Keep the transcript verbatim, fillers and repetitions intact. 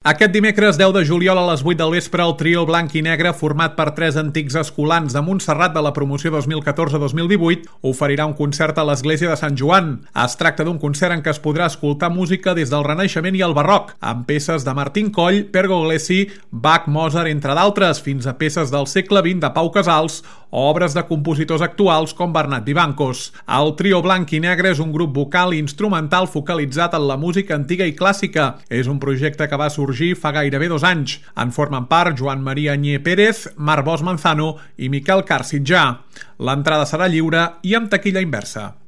Aquest dimecres deu de juliol a les vuit del vespre el trio blanc i negre, format per tres antics escolans de Montserrat de la promoció dos mil catorze dos mil divuit, oferirà un concert a l'església de Sant Joan. Es tracta d'un concert en què es podrà escoltar música des del Renaixement i el Barroc, amb peces de Martín Coll, Pergolesi, Bach, Mozart, entre d'altres, fins a peces del segle vint de Pau Casals o obres de compositors actuals com Bernat Vivancos. El trio blanc i negre és un grup vocal i instrumental focalitzat en la música antiga i clàssica. És un projecte que va sorgir fa gairebé dos anys. En formen part Joan Maria Añé Pérez, Marc Bosch Manzano i Miquel Carr Sitjà. L'entrada serà lliure i amb taquilla inversa.